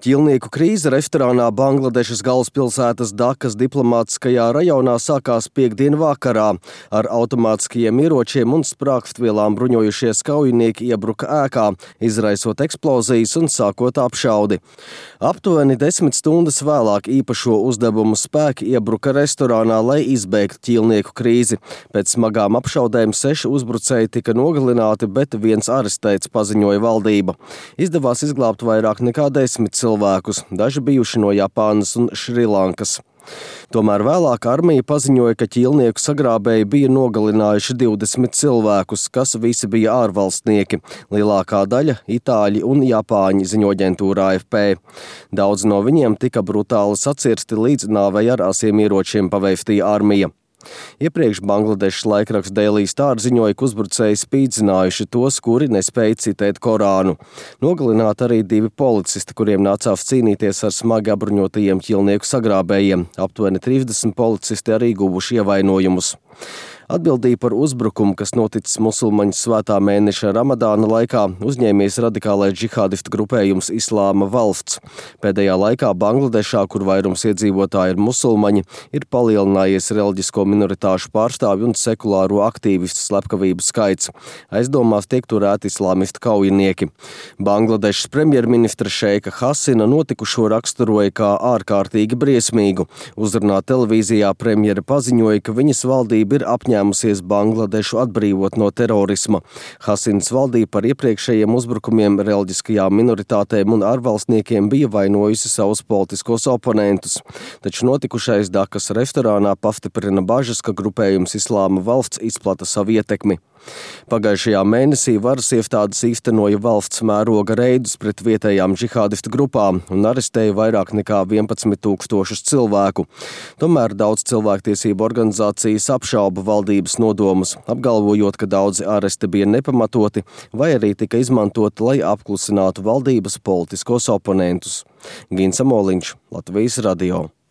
Ķīlnieku krīze restorānā Bangladešas galvaspilsētas Dakas diplomātiskajā rajonā sākās piektdien vakarā. Ar automātiskajiem ieročiem un sprāgstvielām bruņojušies kaujinieki iebruka ēkā, izraisot eksplozijas un sākot apšaudi. Aptuveni 10 stundas vēlāk īpašo uzdevumu spēki iebruka restorānā, lai izbeigtu ķīlnieku krīzi. Pēc smagām apšaudēm 6 uzbrucēji tika nogalināti, bet 1 arestēts, paziņoja valdība. Izdevās izglābt vairāk nekā 10 cilvēkus, daži bijuši no Japānas un Šrilankas. Tomēr vēlāk armija paziņoja, ka ķīlnieku sagrābēji bija nogalinājuši 20 cilvēkus, kas visi bija ārvalstnieki. Lielākā daļa itāļi un japāņi, ziņo aģentūra AFP. Daudz no viņiem tika brutāli sacirsti, līdz nāvei ar asiem ieročiem paveiftīja armija. Iepriekš Bangladešas laikraksts Daily Star ziņoja, ka uzbrucēji spīdzinājuši tos, kuri nespēja citēt Korānu. Nogalināti arī 2 policisti, kuriem nācās cīnīties ar smagi apbruņotajiem ķīlnieku sagrābējiem. Aptuveni 30 policisti arī guvuši ievainojumus. Atbildību par uzbrukumu, kas noticis musulmaņu svētā mēneša Ramadāna laikā, uzņēmies radikālais džihādistu grupējums Islāma valsts. Pēdējā laikā Bangladešā, kur vairums iedzīvotāji ir musulmaņi, ir palielinājies reliģisko minoritāšu pārstāvju un sekulāro aktīvistu slepkavību skaits. Aizdomās tiek turēti islāmistu kaujinieki. Bangladešas premjerministra Šeika Hasina notikušo raksturoja kā ārkārtīgi briesmīgu. Uzrunā televīzijā premjera paziņoja, ka viņas valdība ir apņēmusies Bangladešu atbrīvot no terorisma. Hasinas valdība par iepriekšējiem uzbrukumiem reliģiskajām minoritātēm un ārvalstniekiem bija vainojusi savus politiskos oponentus. Taču notikušais Dakas restorānā pastiprina bažas, ka grupējums Islāma valsts izplata savu ietekmi. Pagājušajā mēnesī varas iestādes īstenoja valsts mēroga reidus pret vietējām džihādistu grupām un arestēja vairāk nekā 11 000 cilvēku. Tomēr daudz cilvēktiesību organizācijas apšauba valdības nodomus, apgalvojot, ka daudzi aresti bija nepamatoti vai arī tika izmantoti, lai apklusinātu valdības politiskos oponentus. Gins Amoliņš, Latvijas radio.